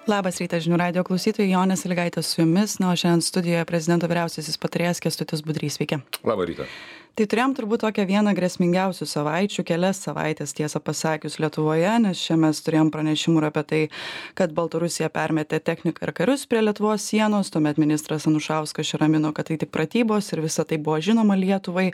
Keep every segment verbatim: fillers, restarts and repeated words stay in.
Labas rytas žinių radijo klausytojai, Jonė Sąlygaitė su jumis, na, o šiandien studijoje prezidento vyriausiasis patarėjas Kęstutis Budrys. Sveiki. Labą rytą. Tai turėjom turbūt tokią vieną grėsmingiausių savaičių, kelias savaitės tiesą pasakius Lietuvoje, nes čia mes turėjom pranešimų ir apie tai, kad Baltarusija permetė techniką ir karius prie Lietuvos sienos, tuomet ministras Anušauskas čia ramino, kad tai tik pratybos ir visa tai buvo žinoma Lietuvai,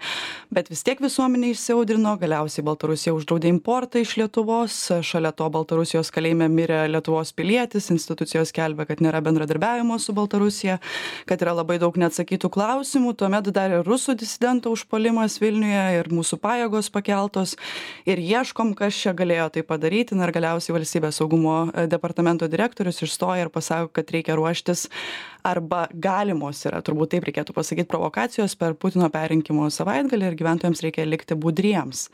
bet vis tiek visuomenė išsiaudrino, galiausiai Baltarusija uždraudė importą iš Lietuvos, šalia to Baltarusijos kalėjime mirė Lietuvos pilietis, institucijos skelbia, kad nėra bendradarbiavimo su Baltarusija, kad yra labai daug neatsakytų klausimų, tuomet dar ir rusų disidento užpuolimas Vilniuje ir mūsų pajėgos pakeltos ir ieškom, kas čia galėjo tai padaryti. Na ir galiausiai valstybės saugumo departamento direktorius išstoja ir pasako, kad reikia ruoštis arba galimos yra, turbūt taip reikėtų pasakyti, provokacijos per Putino perrinkimo savaitgalį ir gyventojams reikia likti budriems.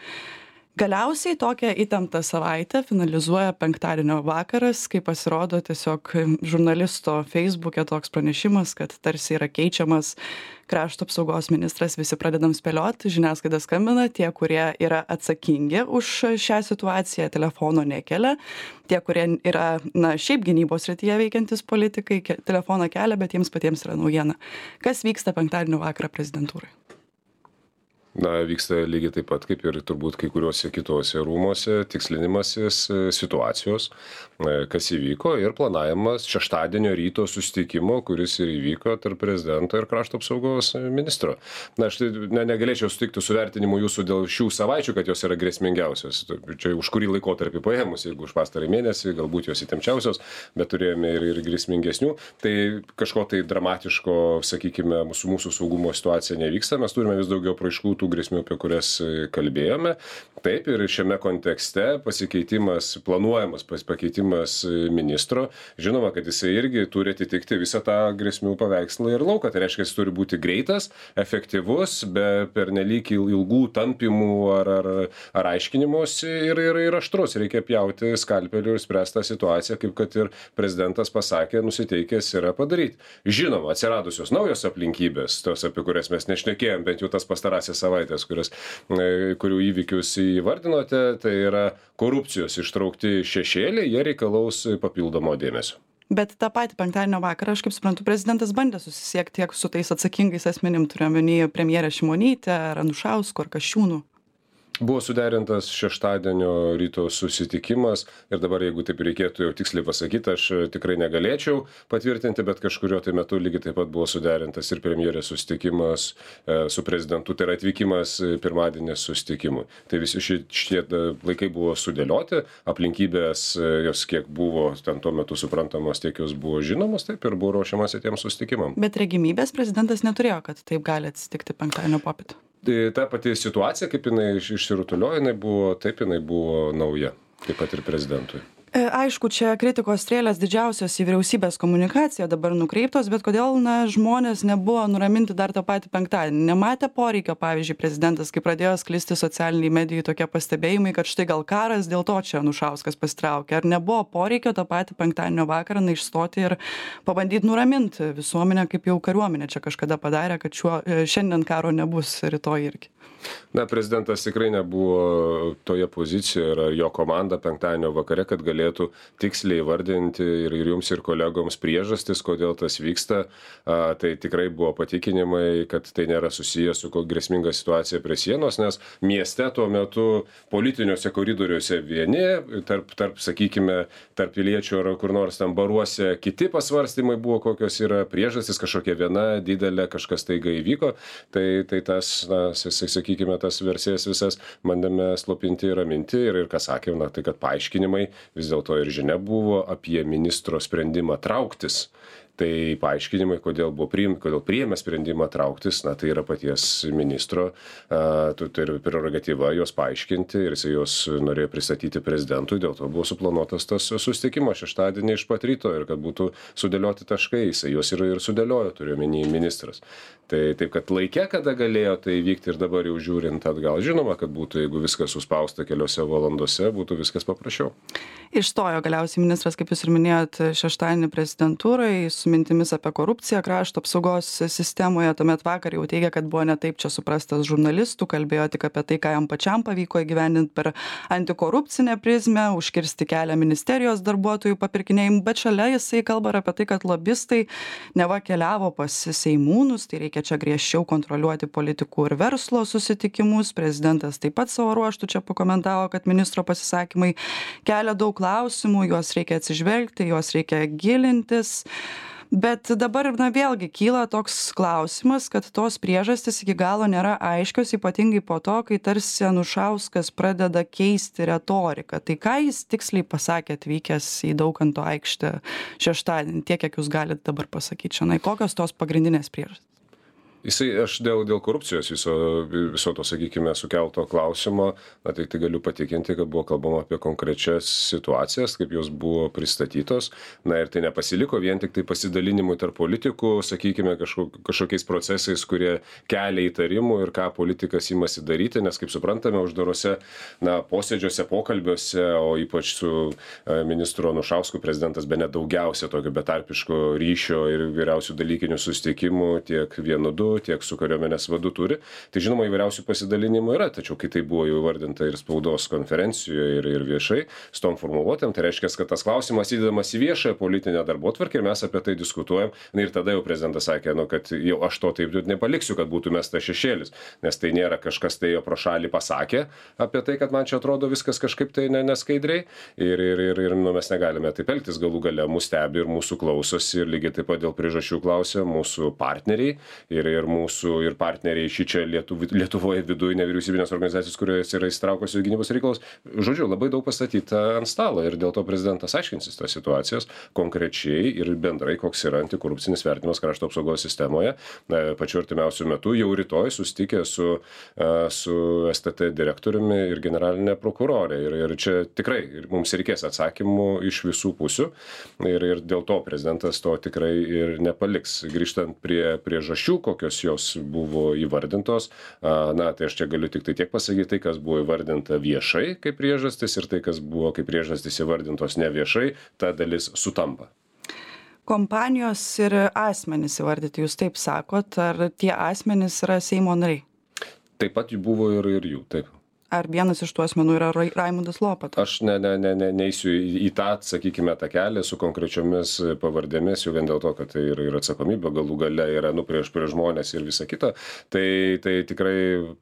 Galiausiai tokią įtemptą savaitę finalizuoja penktadienio vakaras, kai pasirodo tiesiog žurnalisto Facebook'e toks pranešimas, kad tarsi yra keičiamas krašto apsaugos ministras, visi pradedam spėlioti, žiniasklaida skambina, tie, kurie yra atsakingi už šią situaciją, telefono nekelia, tie, kurie yra, na, šiaip gynybos srityje veikiantis politikai, ke- telefoną kelia, bet jiems patiems yra naujiena. Kas vyksta penktadienio vakarą prezidentūrai? Na, vyksta lygiai taip pat, kaip ir turbūt kai kuriuose kitose rūmose, tikslinimasis situacijos, kas įvyko ir planavimas šeštadienio ryto susitikimo, kuris ir įvyko tarp prezidento ir krašto apsaugos ministro. Na, aš tai ne, negalėčiau sutikti su vertinimu jūsų dėl šių savaičių, kad jos yra grėsmingiausios. Čia už kurį laikotarpį paėmus, jeigu už pastarąjį mėnesį, galbūt jos įtempčiausios, bet turėjome ir, ir grėsmingesnių. Tai kažko tai dramatiško, sakykime, mūsų, mūsų saugumo situacija nevyksta. Mes turime vis daugiau apraiškų tų grėsmių, apie kurias kalbėjome. Taip, ir šiame kontekste pasikeitimas, planuojamas pakeitimas ministro, žinoma, kad jisai irgi turi atitikti visą tą grėsmių paveikslą ir lauką. Tai reiškia, jis turi būti greitas, efektyvus, be pernelyg ilgų tampymų ar, ar, ar aiškinimuose ir, ir, ir aštrus. Reikia pjauti skalpeliu ir spręsti tą situaciją, kaip kad ir prezidentas pasakė, nusiteikęs yra padaryti. Žinoma, atsiradusios naujos aplinkybės, tos, apie kurias mes nešnekėjom, bent jau tas pastarąsias savaitės, kurias, kurių įvykius įvardinote, tai yra korupcijos ištraukti šešėliai, jie reikalaus papildomo dėmesio. Bet tą patį penktadienio vakarą, aš kaip suprantu, prezidentas bandė susisiekti tiek su tais atsakingais asmenim, turiuomenį premjerę Šimonytę, ar Anušausku, ar Kasčiūnu. Buvo suderintas šeštadienio ryto susitikimas ir dabar, jeigu taip reikėtų jau tiksliai pasakyti, aš tikrai negalėčiau patvirtinti, bet kažkurio tai metu lygiai taip pat buvo suderintas ir premjerės susitikimas e, su prezidentu, tai yra atvykimas pirmadienės susitikimui. Tai visi šitie laikai buvo sudėlioti, aplinkybės jos kiek buvo ten tuo metu suprantamos, tiek jos buvo žinomos, taip ir buvo ruošiamasi tiems susitikimam. Bet regimybės prezidentas neturėjo, kad taip gali atsitikti penktadienio popietę. Tai ta pati situacija, kaip jinai išsirutuliojo, jinai buvo, taip jinai buvo nauja, taip pat ir prezidentui. Aišku, čia kritikos strėlės didžiausios į vyriausybės komunikaciją dabar nukreiptos, bet kodėl, na, žmonės nebuvo nuraminti dar tą patį penktadienį? Nematė poreikio, pavyzdžiui, prezidentas, kai pradėjo sklisti socialiniai medijai tokie pastebėjimai, kad štai gal karas, dėl to čia Anušauskas pasitraukė. Ar nebuvo poreikio tą patį penktadienio vakarą na išstoti ir pabandyti nuraminti visuomenę, kaip jau kariuomenė čia kažkada padarė, kad šiuo, šiandien karo nebus, rytoj irgi? Na, prezidentas tikrai nebuvo toje pozicijoje ir jo komanda penktadienio vakare, kad galėtų tiksliai vardinti ir, ir jums ir kolegoms priežastis, kodėl tas vyksta. A, tai tikrai buvo patikinimai, kad tai nėra susijęs su grėsminga situacija prie sienos, nes mieste tuo metu politiniuose koridoriuose vieni, tarp, tarp sakykime, tarp piliečių ar kur nors tam baruose kiti pasvarstymai buvo, kokios yra priežastis, kažkokia viena didelė, kažkas taiga įvyko. Tai, tai tas, na, sakykime, tas versijas visas bandėme slopinti ir raminti ir, ir ką sakėm, na, tai kad paaiškinimai vis dėlto ir žinia buvo apie ministro sprendimą trauktis. Tai paaiškinimai, kodėl buvo priimti, kodėl priėmė sprendimą trauktis, na, tai yra paties ministro, a, tai yra prerogatyva juos paaiškinti ir jis juos norėjo pristatyti prezidentui, dėl to buvo suplanuotas tas susitikimas šeštadienį iš pat ryto ir kad būtų sudėlioti taškai, jis juos ir, ir sudėliojo, turiu omeny ministras. Tai taip, kad laikė, kada galėjo tai vykti ir dabar jau žiūrint atgal, žinoma, kad būtų, jeigu viskas suspausta keliose valandose, būtų viskas paprasčiau. Išstojo galiausiai ministras, kaip jūs ir minėjot, šeštadienį prezidentūrai, mintimis apie korupciją krašto apsaugos sistemoje, tuomet vakar jau teigia, kad buvo ne taip čia suprastas žurnalistų, kalbėjo tik apie tai, ką jam pačiam pavyko įgyvendinti per antikorupcinę prizmę, užkirsti kelią ministerijos darbuotojų papirkinėjimų, bet šalia jisai kalba ir apie tai, kad lobistai neva keliavo pas seimūnus, tai reikia čia griežčiau kontroliuoti politikų ir verslo susitikimus. Prezidentas taip pat savo ruoštų čia pakomentavo, kad ministro pasisakymai kelia daug klausimų, juos reikia atsižvelgti, juos reikia gilintis. Bet dabar, na, vėlgi kyla toks klausimas, kad tos priežastys iki galo nėra aiškios, ypatingai po to, kai tarsi Anušauskas pradeda keisti retoriką. Tai ką jis tiksliai pasakė atvykęs į Daukanto aikštę šeštadienį, tiek, kiek jūs galite dabar pasakyti šiandien, kokios tos pagrindinės priežastys? Jisai, aš dėl, dėl korupcijos viso, viso to, sakykime, sukelto klausimo, na, tai, tai galiu patikinti, kad buvo kalbama apie konkrečias situacijas, kaip jos buvo pristatytos. Na ir tai nepasiliko vien tik tai pasidalinimui tarp politikų, sakykime, kažkok, kažkokiais procesais, kurie kelia įtarimų ir ką politikas imasi daryti, nes, kaip suprantame, uždarose na, posėdžiuose, pokalbiuose, o ypač su ministru Anušausku prezidentas bene daugiausia tokio betarpiško ryšio ir vyriausių dalykinių susitikimų tiek vienu du, tiek su kariuomenės vadu turi. Tai žinoma, įvairiausių pasidalinimų yra, tačiau kai tai buvo jau įvardinta ir spaudos konferencijoje, ir, ir viešai, su tom formuluotėm, tai reiškia, kad tas klausimas įdedamas į viešąją politinę darbotvarkę ir mes apie tai diskutuojam. Na, ir tada jau prezidentas sakė, nu, kad jau aš to taip nepaliksiu, kad būtų mestas šešėlis, nes tai nėra kažkas tai jo pro šalį pasakė apie tai, kad man čia atrodo viskas kažkaip tai neskaidriai ir, ir, ir, ir nu, mes negalime taip elgtis, galų gale mus stebi ir mūsų klausosi ir lygiai taip pat dėl priežasčių klausia mūsų partneriai ir, ir mūsų ir partneriai šį čia Lietuv, Lietuvoje viduje nevyriausybinės organizacijos, kurios yra įsitraukusios į gynybos reikalus. Žodžiu, labai daug pastatyta ant stalo ir dėl to prezidentas aiškinsis tas situacijas konkrečiai ir bendrai, koks yra antikorupcinis vertinimas krašto apsaugos sistemoje. Pačiu artimiausiu metu, jau rytoj susitikė su, su S T T direktoriumi ir generalinė prokurorė. Ir, ir čia tikrai ir mums reikės atsakymų iš visų pusių ir, ir dėl to prezidentas to tikrai ir nepaliks. Grįžtant prie priežasčių, kokios jos buvo įvardintos, na, tai aš čia galiu tik tai tiek pasakyti, tai, kas buvo įvardinta viešai kaip priežastis ir tai, kas buvo kaip priežastis įvardintos neviešai, ta dalis sutampa. Kompanijos ir asmenys įvardyti, jūs taip sakot, ar tie asmenys yra Seimo nariai? Taip pat jų buvo ir, ir jų, taip. Ar vienas iš tų asmenų yra Raimundas Lopata? Aš ne, ne, ne, ne, neįsiu į, į tą, sakykime, tą kelią su konkrečiomis pavardėmis, jau vien dėl to, kad tai yra ir atsakomybė, galų gale yra nu prieš prieš žmonės ir visa kita. Tai, tai tikrai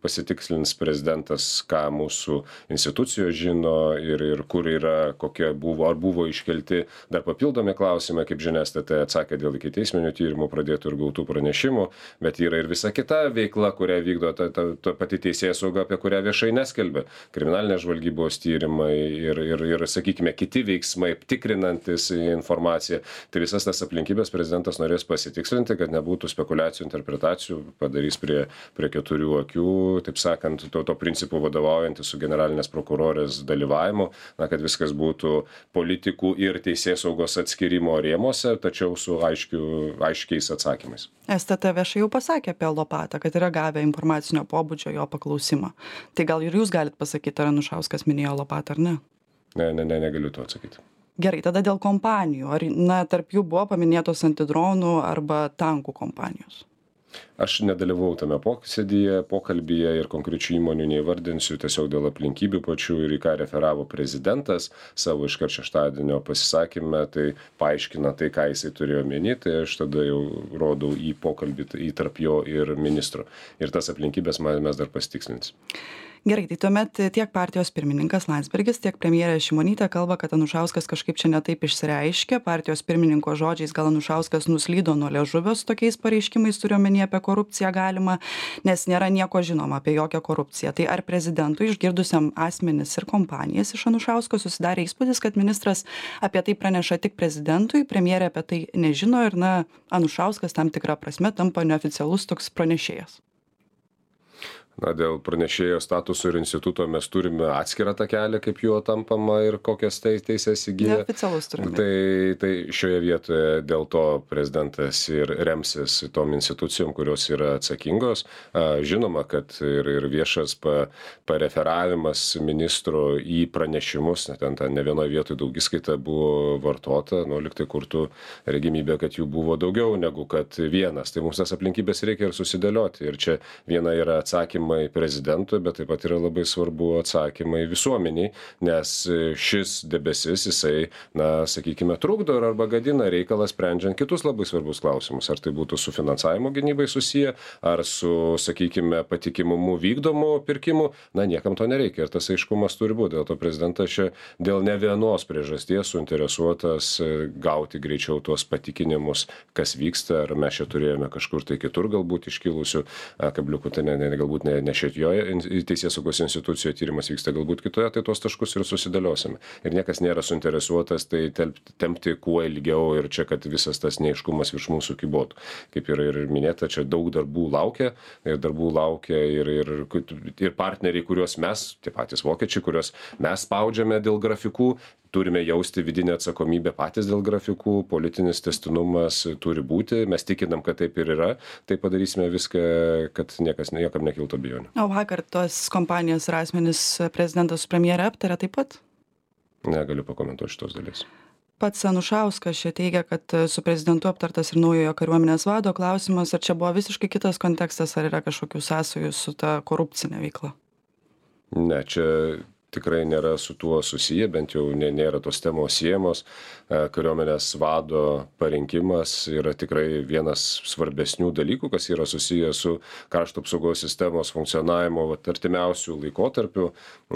pasitikslins prezidentas, ką mūsų institucijos žino ir, ir kur yra, kokie buvo, ar buvo iškelti dar papildomi klausimai, kaip žinia, S T T atsakė dėl ikiteisminių tyrimų pradėtų ir gautų pranešimų, bet yra ir visa kita veikla, kurią vykdo ta, ta, ta pati teisėsauga, apie kurią viešai neskelbia. Kriminalinės žvalgybos tyrimai ir, ir, ir, sakykime, kiti veiksmai, tikrinantis informaciją. Tai visas tas aplinkybės prezidentas norės pasitikslinti, kad nebūtų spekulacijų, interpretacijų, padarys prie, prie keturių akių, taip sakant, to, to principų vadovaujantis su generalinės prokurorės dalyvavimu, na, kad viskas būtų politikų ir teisėsaugos atskirimo rėmose, tačiau su aiškiu, aiškiais atsakymais. S T T viešai jau pasakė apie Lopatą, kad yra gavę informacinio pobūdžio jo paklausimą. Tai gal ir jūs galit pasakyti, ar Anušauskas minėjo Lopatą ar ne? Ne, ne, ne, negaliu to atsakyti. Gerai, tada dėl kompanijų. Ar, na, tarp jų buvo paminėtos antidronų arba tankų kompanijos? Aš nedalyvau tame posėdyje, pokalbyje ir konkrečių įmonių neįvardinsiu tiesiog dėl aplinkybių pačių ir į ką referavo prezidentas savo iškart šeštadienio pasisakyme, tai paaiškina tai, ką jisai turėjo omeny, tai aš tada jau rodau į pokalbį į tarp jo ir ministro. Ir tas aplinkybės mes dar pasitikslinsim. Gerai, tai tuomet tiek partijos pirmininkas Landsbergis, tiek premjerė Šimonytė kalba, kad Anušauskas kažkaip čia netaip išsireiškė. Partijos pirmininko žodžiais gal Anušauskas nuslydo nuo liežuvio su tokiais pareiškimais, turiu omeny apie korupciją galima, nes nėra nieko žinoma apie jokią korupciją. Tai ar prezidentui išgirdusiam asmenis ir kompanijas iš Anušausko susidarė įspūdis, kad ministras apie tai praneša tik prezidentui, premjerė apie tai nežino ir, na, Anušauskas tam tikrą prasme tampa neoficialus toks pranešėjas? Na, dėl pranešėjo statuso ir instituto mes turime atskirą takelį, kaip juo tampama ir kokias teisės įgyja. Neoficialus turime. Tai, tai šioje vietoje dėl to prezidentas ir remsis tom institucijom, kurios yra atsakingos. Žinoma, kad ir, ir viešas pa, pareferavimas ministro į pranešimus, ten, ten ne vienoje vietoje daugiskaita buvo vartota, nu, liktai kurtų regimybė, kad jų buvo daugiau negu kad vienas. Tai mums tas aplinkybės reikia ir susidėlioti. Ir čia viena yra atsakymai prezidentui, bet taip pat yra labai svarbu atsakymai visuomeniai, nes šis debesis, jisai, na, sakykime, trukdo arba gadina reikalą sprendžiant kitus labai svarbus klausimus. Ar tai būtų su finansavimo gynybai susiję, ar su, sakykime, patikimumu vykdomų pirkimų, na, niekam to nereikia ir tas aiškumas turi būti. Dėl to prezidentas čia dėl ne vienos priežasties suinteresuotas gauti greičiau tuos patikinimus, kas vyksta, ar mes čia turėjome kažkur tai kitur galbūt iškilusių kabliukų, tai ne, ne, galbūt ne ne šitoje teisėsaugos institucijoje tyrimas vyksta, galbūt kitoje, tai tuos taškus ir susidėliosime. Ir niekas nėra suinteresuotas tai tempti kuo ilgiau ir čia, kad visas tas neaiškumas virš mūsų kybotų. Kaip ir, ir minėta, čia daug darbų laukia, ir darbų laukia ir, ir, ir partneriai, kuriuos mes, tie patys vokiečiai, kuriuos mes spaudžiame dėl grafikų, turime jausti vidinę atsakomybę patys dėl grafikų, politinis tęstinumas turi būti, mes tikinam, kad taip ir yra, tai padarysime viską, kad niekas niekam nekiltų abejonių. O vakar tos kompanijos ir asmenys prezidentas su premjere aptarė taip pat? Negaliu pakomentuoti šitos dalies. Pats Anušauskas čia teigia, kad su prezidentu aptartas ir naujojo kariuomenės vado klausimas, ar čia buvo visiškai kitas kontekstas, ar yra kažkokių sąsajų su ta korupcinė veikla? Ne, čia tikrai nėra su tuo susiję, bent jau nėra tos temos siejamos. Kariuomenės vado parinkimas yra tikrai vienas svarbesnių dalykų, kas yra susijęs su krašto apsaugos sistemos funkcionavimo artimiausių laikotarpių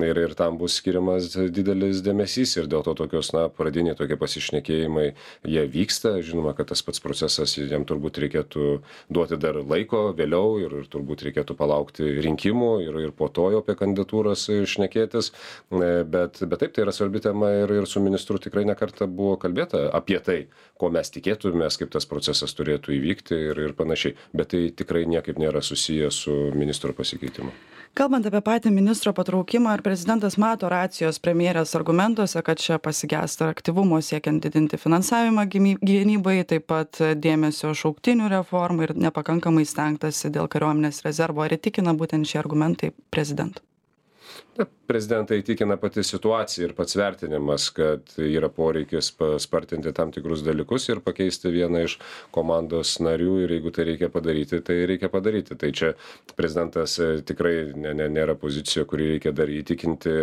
ir, ir tam bus skiriamas didelis dėmesys ir dėl to tokios, na, pradiniai tokie pasišnekėjimai, jie vyksta. Žinoma, kad tas pats procesas, jam turbūt reikėtų duoti dar laiko vėliau ir, ir turbūt reikėtų palaukti rinkimų ir, ir po to jau apie kandidatūras šnekėtis. Bet, bet taip, tai yra svarbi tema ir, ir su ministru tikrai nekartą buvo kalbėta apie tai, ko mes tikėtumės, kaip tas procesas turėtų įvykti ir, ir panašiai. Bet tai tikrai niekaip nėra susiję su ministro pasikeitimu. Kalbant apie patį ministro patraukimą, ar prezidentas mato racijos premjerės argumentuose, kad čia pasigesta aktyvumo siekiant didinti finansavimą gynybai, taip pat dėmesio šauktinių reformai ir nepakankamai stengtasi dėl kariuomenės rezervo, ar įtikina būtent šie argumentai prezidentą? Prezidentą įtikina pati situacija ir pats vertinimas, kad yra poreikis paspartinti tam tikrus dalykus ir pakeisti vieną iš komandos narių ir jeigu tai reikia padaryti, tai reikia padaryti. Tai čia prezidentas tikrai ne, ne, nėra pozicija, kurį reikia dar įtikinti,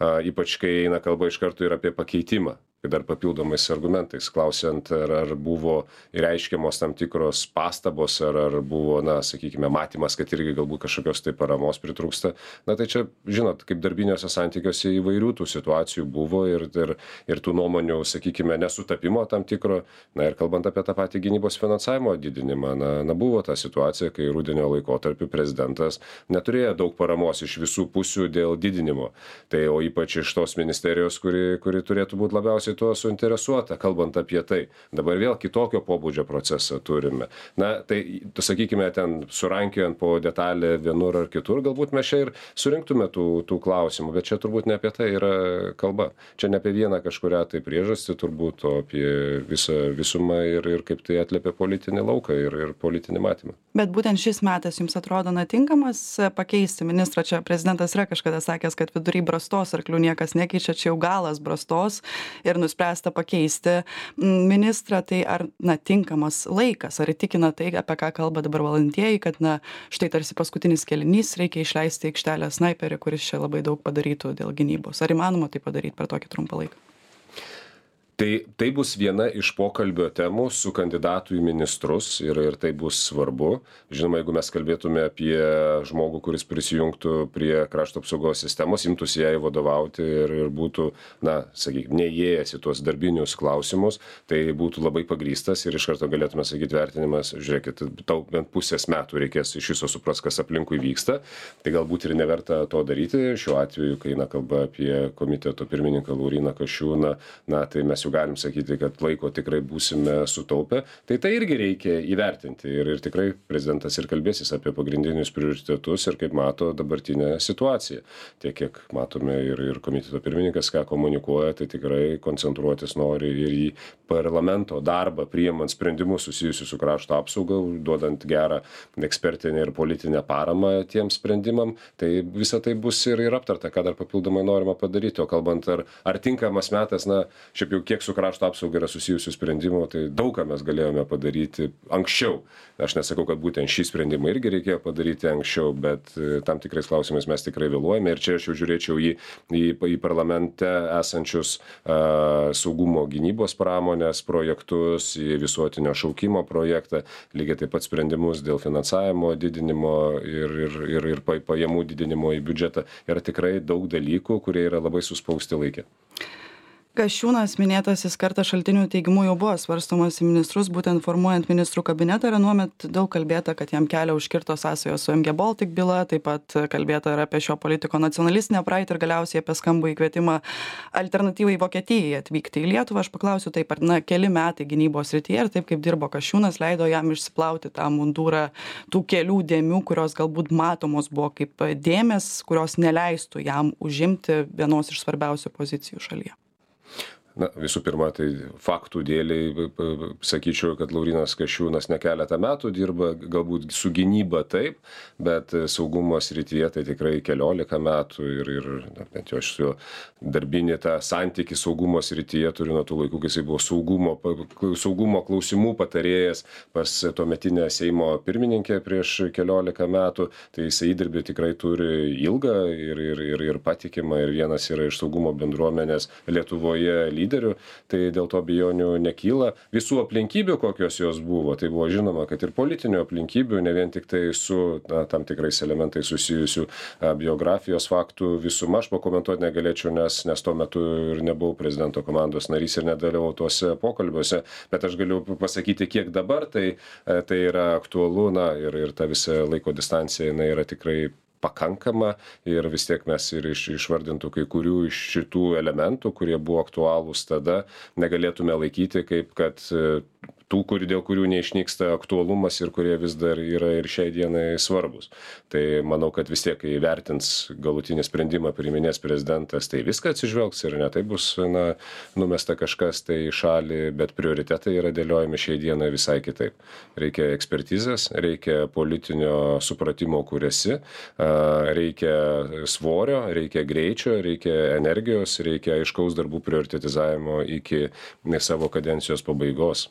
ypač kai eina kalba iš karto ir apie pakeitimą. Dar papildomais argumentais, klausiant, ar, ar buvo reiškiamos tam tikros pastabos, ar, ar buvo, na, sakykime, matymas, kad irgi galbūt kažkokios tai paramos pritrūksta. Na tai čia, žinot, kaip darbiniuose santykiuose įvairių tų situacijų buvo ir, ir, ir tų nuomonių, sakykime, nesutapimo tam tikro. Na ir kalbant apie tą patį gynybos finansavimo didinimą, na, na buvo ta situacija, kai rudenio laikotarpiu prezidentas neturėjo daug paramos iš visų pusių dėl didinimo. Tai o ypač iš tos ministerijos, kuri, kuri turėtų būti labiausiai tuo suinteresuota, kalbant apie tai. Dabar vėl kitokio pobūdžio procesą turime. Na, tai, sakykime, ten surankiojant po detalę vienur ar kitur, galbūt mes čia ir surinktume tų, tų klausimų, bet čia turbūt ne apie tai yra kalba. Čia ne apie vieną kažkurią tai priežastį, turbūt, o apie visą visumą ir, ir kaip tai atliepia politinį lauką ir, ir politinį matymą. Bet būtent šis metas jums atrodo na tinkamas pakeisti ministrą? Čia prezidentas yra kažkada sakęs, kad vidury brastos arklių niekas nekeičia, čia jau galas brastos ir nuspręsta pakeisti ministrą, tai ar na, tinkamas laikas, ar įtikina tai, apie ką kalba dabar valdantieji, kad na, štai tarsi paskutinis kėlinys, reikia išleisti aikštelę snaiperį, kuris čia labai daug padarytų dėl gynybos. Ar įmanoma tai padaryti per tokį trumpą laiką? Tai, tai bus viena iš pokalbio temų su kandidatu į ministrus ir, ir tai bus svarbu. Žinoma, jeigu mes kalbėtume apie žmogų, kuris prisijungtų prie krašto apsaugos sistemos, imtųsi jai vadovauti ir, ir būtų, na, sakykime, neįėjęs į tuos darbinius klausimus, tai būtų labai pagrįstas ir iš karto galėtume sakyti vertinimas, žiūrėkit, tau bent pusės metų reikės iš viso supras, kas aplinkui vyksta, tai galbūt ir neverta to daryti. Šiuo atveju, kai eina kalba apie komiteto pirmininką Lauryną Kasčiūną, na, tai mes jau galim sakyti, kad laiko tikrai būsime sutaupę, tai tai irgi reikia įvertinti. Ir, ir tikrai prezidentas ir kalbėsis apie pagrindinius prioritetus ir kaip mato dabartinę situaciją. Tiek, kiek matome ir, ir komiteto pirmininkas, ką komunikuoja, tai tikrai koncentruotis nori ir į parlamento darbą, priimant sprendimus susijusius su krašto apsauga, duodant gerą ekspertinę ir politinę paramą tiems sprendimam. Tai visa tai bus ir, ir aptarta, ką dar papildomai norima padaryti. O kalbant, ar, ar tinkamas metas, na, šiaip jau kiek su krašto apsauga yra susijusių sprendimų, tai daug ką mes galėjome padaryti anksčiau. Aš nesakau, kad būtent šį sprendimą irgi reikėjo padaryti anksčiau, bet tam tikrais klausimais mes tikrai vėluojame. Ir čia aš jau žiūrėčiau į, į, į parlamente esančius uh, saugumo gynybos pramonės projektus, į visuotinio šaukimo projektą, lygiai taip pat sprendimus dėl finansavimo didinimo ir, ir, ir, ir pajamų didinimo į biudžetą. Yra tikrai daug dalykų, kurie yra labai suspausti laikė. Kasčiūnas minėtasis kartą šaltinių teigimu jau buvo svarstomas į ministrus, būtent formuojant ministrų kabinetą, ir anuomet daug kalbėta, kad jam kelią užkirto sąsajos su M G Baltic byla, taip pat kalbėta ir apie šio politiko nacionalistinę praeitį ir galiausiai apie skambų įkvietimą alternatyvai Vokietijai atvykti į Lietuvą. Aš paklausiu taip, ar na, keli metai gynybos srityje ir taip kaip dirbo Kasčiūnas leido jam išsiplauti tą mundurą tų kelių dėmių, kurios galbūt matomos buvo kaip dėmės, kurios neleistų jam užimti vienos iš svarbiausių pozicijų šalyje. Na, visų pirma, tai faktų dėliai sakyčiau, kad Laurynas Kasčiūnas ne keletą metų dirba, galbūt su gynyba taip, bet saugumo srityje tai tikrai keliolika metų ir, ir na, bent jau aš su darbinį tą santykį saugumo srityje turiu nuo tų laikų, kai jisai buvo saugumo, saugumo klausimų patarėjas pas tuometinę Seimo pirmininkę prieš keliolika metų, tai jisai įdirbį tikrai turi ilgą ir, ir, ir, ir patikimą, ir vienas yra iš saugumo bendruomenės Lietuvoje lyderių, tai dėl to abejonių nekyla. Visų aplinkybių, kokios jos buvo, tai buvo žinoma, kad ir politinių aplinkybių, ne vien tik tai su na, tam tikrais elementais susijusių a, biografijos faktų visuma, aš pakomentuoti negalėčiau, nes, nes tuo metu ir nebuvau prezidento komandos narys ir nedalyvau tuose pokalbiuose, bet aš galiu pasakyti, kiek dabar tai, tai yra aktualu, na, ir, ir ta visa laiko distancija, jinai yra tikrai pakankama ir vis tiek mes ir iš, išvardintų kai kurių iš šitų elementų, kurie buvo aktualūs tada, negalėtume laikyti kaip kad tų, kur, dėl kurių neišnyksta aktualumas ir kurie vis dar yra ir šiai dienai svarbus. Tai manau, kad vis tiek, kai vertins galutinį sprendimą priiminės prezidentas, tai viską atsižvelgs ir ne tai bus na, numesta kažkas tai į šalį, bet prioritetai yra dėliojami šiai dienai visai kitaip. Reikia ekspertizės, reikia politinio supratimo, kur esi, reikia svorio, reikia greičio, reikia energijos, reikia aiškaus darbų prioritetizavimo iki savo kadencijos pabaigos.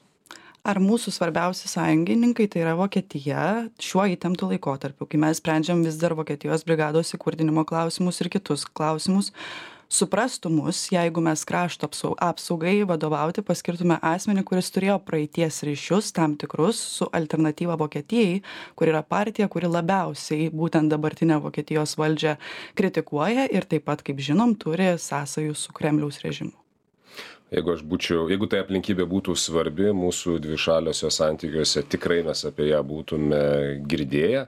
Ar mūsų svarbiausi sąjungininkai, tai yra Vokietija, šiuo įtemptu laikotarpiu, kai mes sprendžiam vis dar Vokietijos brigados įkurdinimo klausimus ir kitus klausimus, suprastų mus, jeigu mes krašto apsaugai vadovauti paskirtume asmenį, kuris turėjo praeities ryšius tam tikrus su alternatyva Vokietijai, kur yra partija, kuri labiausiai būtent dabartinę Vokietijos valdžią kritikuoja ir taip pat, kaip žinom, turi sąsajų su Kremliaus režimu. Jeigu aš būčiau, jeigu tai aplinkybė būtų svarbi mūsų dvišaliuose santykiuose, tikrai mes apie ją būtume girdėję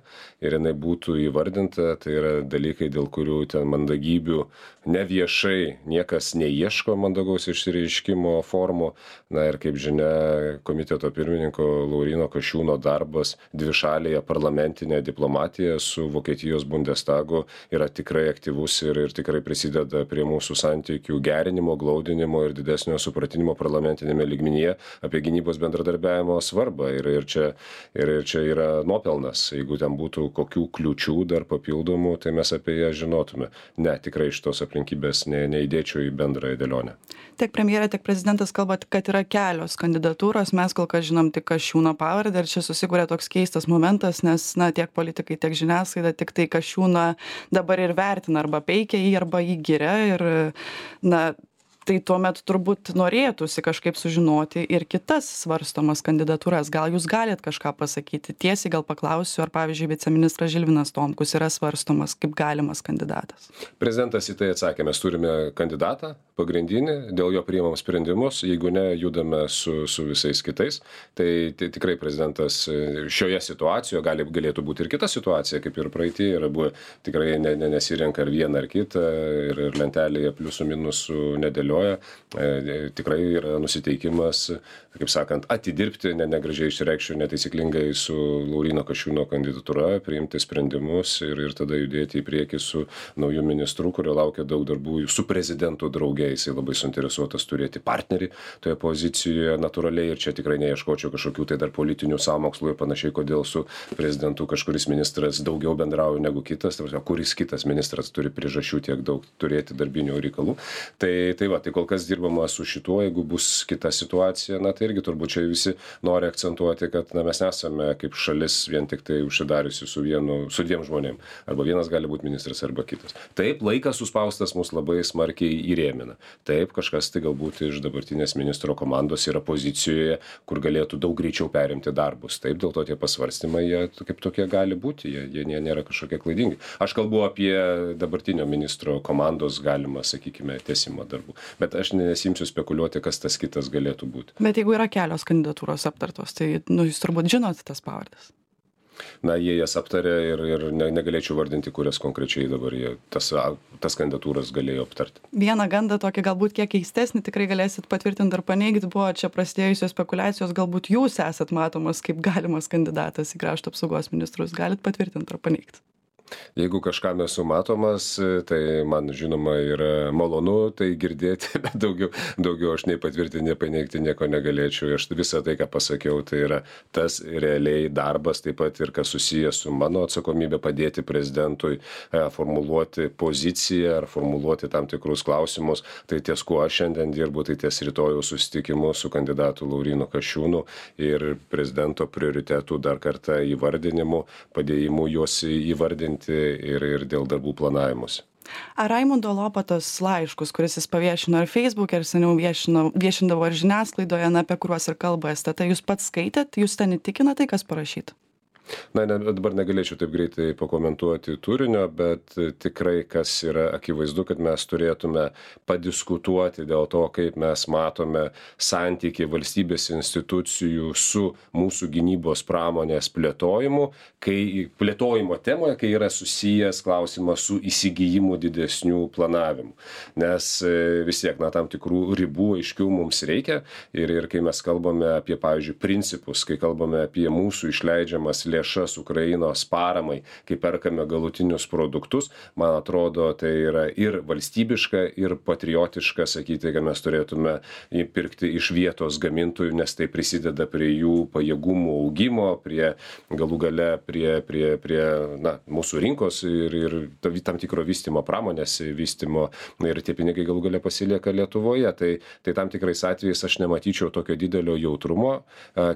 ir jinai būtų įvardinta, tai yra dalykai, dėl kurių ten mandagybių neviešai niekas neieško mandagaus išsireiškimo formų. Na ir kaip žinia, komiteto pirmininko Lauryno Kasčiūno darbas dvišalėje parlamentinė diplomatija su Vokietijos Bundestagu yra tikrai aktyvus ir, ir tikrai prisideda prie mūsų santykių gerinimo, glaudinimo ir didesnio supratinimo parlamentinėme lygmenyje apie gynybos bendradarbiavimo svarbą. Ir, ir, čia, ir, ir čia yra nuopelnas. Jeigu ten būtų kokių kliūčių dar papildomų, tai mes apie ją žinotume. Ne, tikrai šitos aplinkybės ne, neįdėčiau į bendrąją dėlionę. Tiek premjerė, tiek prezidentas kalba, kad yra kelios kandidatūros. Mes kol kas žinom tik Kasčiūno pavardę ir čia susikūrė toks keistas momentas, nes na, tiek politikai, tiek žiniasklaida tik tai Kasčiūną dabar ir vertina arba peikia jį, arba jį giria. Ir na, tai tuomet turbūt norėtųsi kažkaip sužinoti ir kitas svarstomas kandidatūras. Gal jūs galit kažką pasakyti? Tiesiai gal paklausiu, ar pavyzdžiui viceministras Žilvinas Tomkus yra svarstomas kaip galimas kandidatas. Prezidentas į tai atsakė, mes turime kandidatą pagrindinį, dėl jo priimam sprendimus, jeigu ne, judame su, su visais kitais. Tai, tai tikrai prezidentas šioje situacijoje gali, galėtų būti ir kita situacija, kaip ir praeitie yra buvę, tikrai ne, ne, nesirenka ar vieną ar kitą ir, ir lentelėje pliusų minusų nedėlioja. nebejoja, tikrai yra nusiteikimas, kaip sakant, atidirbti, ne, negražiai išreikščiau, netaisyklingai su Lauryno Kasčiūno kandidatūra, priimti sprendimus ir, ir tada judėti į priekį su nauju ministru, kurio laukia daug darbų, su prezidentu drauge, jisai labai suinteresuotas turėti partnerį toje pozicijoje natūraliai ir čia tikrai neieškočiau kažkokių tai dar politinių sąmokslų ir panašiai, kodėl su prezidentu kažkuris ministras daugiau bendrauja negu kitas, tai kuris kitas ministras turi priežasčių tiek daug turėti darbinių reikalų. Tai, tai va, tai kol kas dirbama su šituo, jeigu bus kita situacija, na tai irgi turbūt čia visi nori akcentuoti, kad na, mes nesame kaip šalis vien tik tai užsidariusi su vienu, su dviem žmonėm. Arba vienas gali būti ministras, arba kitas. Taip, laikas suspaustas mus labai smarkiai įrėmina. Taip, kažkas tai galbūt iš dabartinės ministro komandos yra pozicijoje, kur galėtų daug greičiau perimti darbus. Taip, dėl to tie pasvarstymai, jie kaip tokie gali būti, jie, jie nėra kažkokie klaidingi. Aš kalbu apie dabartinio ministro komandos galimą, sakykime, tęsimą darbų. Bet aš nesimsiu spekuliuoti, kas tas kitas galėtų būti. Bet jeigu yra kelios kandidatūros aptartos, tai nu, jūs turbūt žinot tas pavardės. Na, jie jas aptarė ir, ir ne, negalėčiau vardinti, kurias konkrečiai dabar jie tas, tas kandidatūras galėjo aptarti. Vieną gandą tokį galbūt kiek keistesnį tikrai galėsit patvirtinti ar paneigti, buvo čia prasidėjusios spekulacijos, galbūt jūs esat matomas kaip galimas kandidatas į krašto apsaugos ministrus. Galit patvirtinti ar paneigti? Jeigu kažkam esu matomas, tai man žinoma yra malonu tai girdėti, bet daugiau, daugiau aš nei patvirtinti, nei paneigti nieko negalėčiau. Aš visą tai, ką pasakiau, tai yra tas realiai darbas, taip pat ir kas susijęs su mano atsakomybė padėti prezidentui e, formuluoti poziciją ar formuluoti tam tikrus klausimus. Tai ties kuo aš šiandien dirbu, tai ties rytojaus susitikimu su kandidatu Laurynu Kasčiūnu ir prezidento prioritetų dar kartą įvardinimu, padėjimu juos įvardinti. Ir, ir dėl darbų planavimus. Ar Raimundo Lopatos laiškus, kuris jis paviešino ir Facebook'e, ir seniau viešino, viešindavo ir žiniasklaidoje, na, apie kuriuos ir kalba S T T, jūs pats skaitėt, jūs ten įtikina tai, kas parašyta? Na, ne, dabar negalėčiau taip greitai pakomentuoti turinio, bet tikrai kas yra akivaizdu, kad mes turėtume padiskutuoti dėl to, kaip mes matome santykį valstybės institucijų su mūsų gynybos pramonės plėtojimu, kai plėtojimo temoje, kai yra susijęs klausimas su įsigijimu didesnių planavimų. Nes vis tiek, na, tam tikrų ribų aiškių mums reikia ir, ir kai mes kalbame apie, pavyzdžiui, principus, kai kalbame apie mūsų išleidžiamas lėšas Ukrainos paramai, kai perkame galutinius produktus, man atrodo, tai yra ir valstybiška, ir patriotiška sakyti, kad mes turėtume įpirkti iš vietos gamintojų, nes tai prisideda prie jų pajėgumų augimo, prie galų gale, prie, prie, prie na, mūsų rinkos ir, ir tam tikro vystymo, pramonės vystymo, ir tie pinigai galų gale pasilieka Lietuvoje. Tai, tai tam tikrais atvejais aš nematyčiau tokio didelio jautrumo.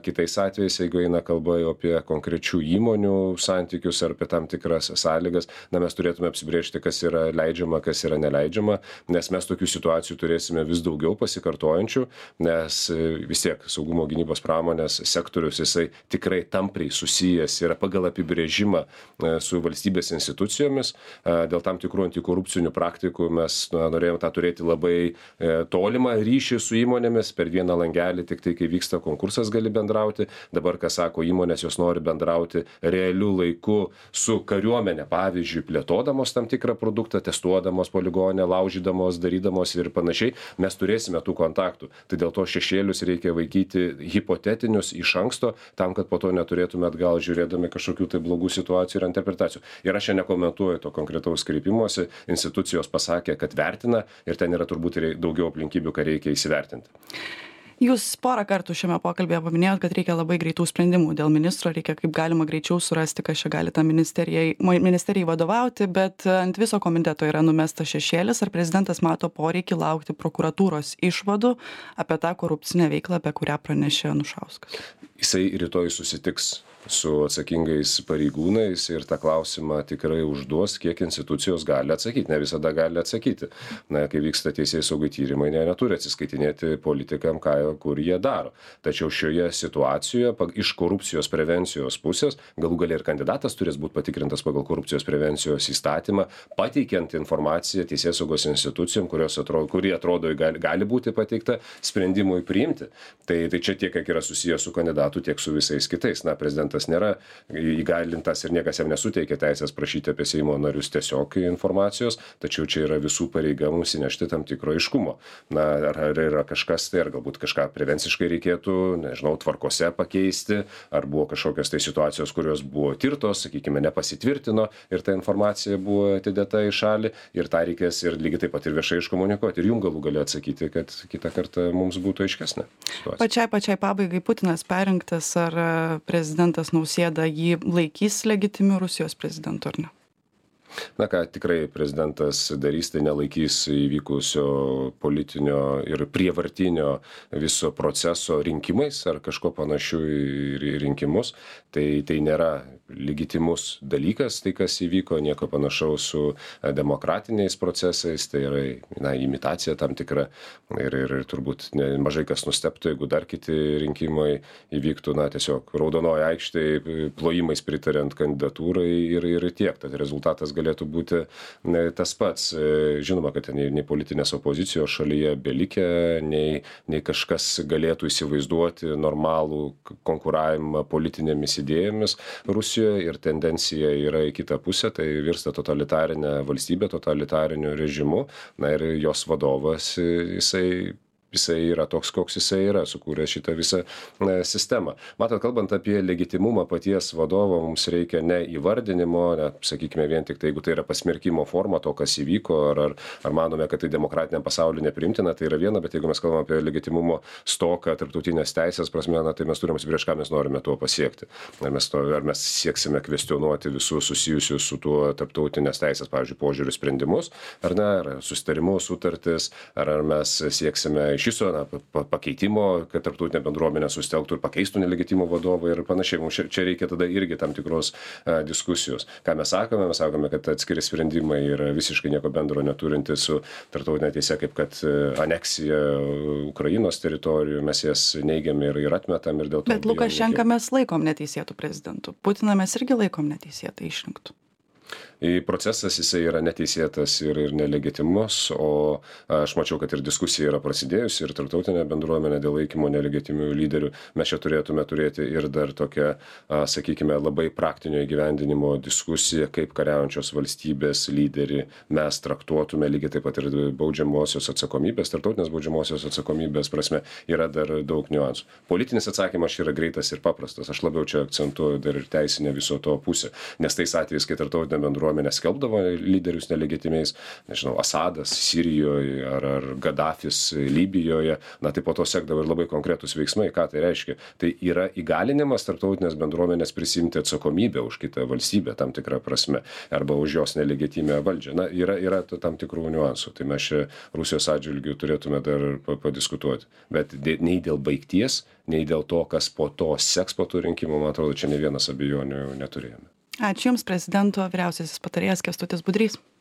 Kitais atvejais, jeigu eina kalba apie konkrečių įmonių santykius ar apie tam tikras sąlygas, na, mes turėtume apsibrėžti, kas yra leidžiama, kas yra neleidžiama, nes mes tokių situacijų turėsime vis daugiau pasikartojančių, nes vis tiek saugumo gynybos pramonės sektorius, jisai tikrai tampriai susijęs yra pagal apibrėžimą su valstybės institucijomis. Dėl tam tikrų antikorupcinių praktikų mes na, norėjome tą turėti labai tolimą ryšį su įmonėmis, per vieną langelį, tik tai, kai vyksta konkursas, gali bendrauti. Dabar, ką sako įmonės, jos nori bendrauti realiu laiku su kariuomenė, pavyzdžiui, plėtodamos tam tikrą produktą, testuodamos poligonę, laužydamos, darydamos ir panašiai, mes turėsime tų kontaktų. Tai dėl to šešėlius reikia vaikyti hipotetinius iš anksto, tam, kad po to neturėtume atgal žiūrėdami kažkokių tai blogų situacijų ir interpretacijų. Ir aš čia nekomentuoju to konkretaus kreipimuose, institucijos pasakė, kad vertina ir ten yra turbūt daugiau aplinkybių, ką reikia įsivertinti. Jūs porą kartų šiame pokalbėje paminėjot, kad reikia labai greitų sprendimų dėl ministro, reikia kaip galima greičiau surasti, kas čia gali tą ministerijai, ministerijai vadovauti, bet ant viso komiteto yra numestas šešėlis, ar prezidentas mato poreikį laukti prokuratūros išvadų apie tą korupcinę veiklą, apie kurią pranešė Anušauskas. Jisai rytoj susitiks su atsakingais pareigūnais ir tą klausimą tikrai užduos, kiek institucijos gali atsakyti. Ne visada gali atsakyti. Na, kai vyksta teisėjai saugai tyrimai, ne, neturi atsiskaitinėti politikam, ką, kur jie daro. Tačiau šioje situacijoje iš korupcijos prevencijos pusės, galų galia ir kandidatas turės būti patikrintas pagal korupcijos prevencijos įstatymą, pateikiant informaciją teisėjai saugos institucijom, kurios atrodo, kurie atrodo gali, gali būti pateikta sprendimui priimti. Tai, tai čia tiek, kiek yra susijęs su kandidatu, tiek su visais kitais. Na, prezidentas prezidentas nėra įgalintas ir niekas jam nesuteikia teisės prašyti apie Seimo narius tiesiog informacijos, tačiau čia yra visų pareiga mums įnešti tam tikro aiškumo. Na, ar, ar yra kažkas tai, ar galbūt kažką prevenciškai reikėtų, nežinau, tvarkose pakeisti, ar buvo kažkokios tai situacijos, kurios buvo tirtos, sakykime, nepasitvirtino ir ta informacija buvo atidėta į šalį ir tą reikės ir lygiai taip pat ir viešai iškomunikuoti ir jum galų gali atsakyti, kad kitą kartą mums būtų aiškesnė situacija. Pačiai, pačiai pabaigai Putinas perrinktas, ar prezidentas Nausėda jį laikys legitimiu Rusijos prezidentu ar ne? Na ką, tikrai prezidentas darys, tai nelaikys įvykusio politinio ir prievartinio viso proceso rinkimais ar kažko panašių į rinkimus. Tai, tai nėra legitimus dalykas, tai kas įvyko, nieko panašaus su demokratiniais procesais, tai yra na, imitacija tam tikra ir, ir, ir turbūt ne, mažai kas nustebtų, jeigu dar kiti rinkimai įvyktų, na tiesiog raudonoje aikštėje plojimais pritariant kandidatūrai ir, ir tiek, tad rezultatas galėtų būti ne, tas pats. Žinoma, kad nei, nei politinės opozicijos šalyje belikė, nei, nei kažkas galėtų įsivaizduoti normalų konkuravimą politinėmis idėjomis Rusijoje ir tendencija yra į kitą pusę, tai virsta totalitarinė valstybė, totalitariniu režimu, na ir jos vadovas, jisai jisai yra toks, koks jisai yra, sukūręs šitą visą e, sistemą. Matot, kalbant apie legitimumą paties vadovo, mums reikia ne įvardinimo, ne, sakykime, vien tik tai, jeigu tai yra pasmerkimo forma to, kas įvyko, ar, ar, ar manome, kad tai demokratiniam pasauliu neprimtina, tai yra viena, bet jeigu mes kalbame apie legitimumo stoką, tarptautinės teisės prasme, na, tai mes turime prieš ką mes norime tuo pasiekti. Ar mes, to, ar mes sieksime kvestionuoti visus susijusius su tuo tarptautinės teisės, pavyzdžiui, požiūrių sprendimus, ar ne, ar susitarimus, sutartis, ar, ar mes sieksime iš viso na, pakeitimo, kad tarptautinė bendruomenė sustelktų ir pakeistų nelegitimų vadovą ir panašiai. Mums čia reikia tada irgi tam tikros a, diskusijos. Ką mes sakome? Mes sakome, kad atskiri sprendimai yra visiškai nieko bendro neturinti su tarptautinė teise, kaip kad aneksija Ukrainos teritorijų, mes jas neigiame ir, ir atmetam. Ir dėl to Bet Lukašenką mes laikom neteisėtų prezidentų. Putiną mes irgi laikom neteisėtai išrinktų. Procesas jisai yra neteisėtas ir, ir nelegitimus, o aš mačiau, kad ir diskusija yra prasidėjusi ir tarptautinė bendruomenė dėl laikymo nelegitimių lyderių. Mes čia turėtume turėti ir dar tokią, sakykime, labai praktinio įgyvendinimo diskusiją, kaip kariaujančios valstybės lyderį mes traktuotume, lygiai taip pat ir baudžiamosios atsakomybės, tarptautinės baudžiamosios atsakomybės prasme yra dar daug niuansų. Politinis atsakymas yra greitas ir paprastas. Aš labiau čia akcentuoju dar ir teisinę viso to pusę, nes tais atvejais, kai tarptautinė bendruomenė skelbdavo lyderius nelegitimiais, nežinau, Asadas Sirijoje ar, ar Gaddafis Libijoje, na tai po to sekdavo ir labai konkretus veiksmai. Ką tai reiškia? Tai yra įgalinimas tarptautinės bendruomenės prisimti atsakomybę už kitą valstybę tam tikrą prasme arba už jos nelegitimę valdžią. Na, yra, yra tam tikrų niuansų. Tai mes čia Rusijos atžvilgių turėtume dar padiskutuoti. Bet nei dėl baigties, nei dėl to, kas po to seks po tų rinkimų, man atrodo, čia ne vienas abejonių neturėjome. Ačiū Jums, prezidento vyriausiasis patarėjas Kęstutis Budrys.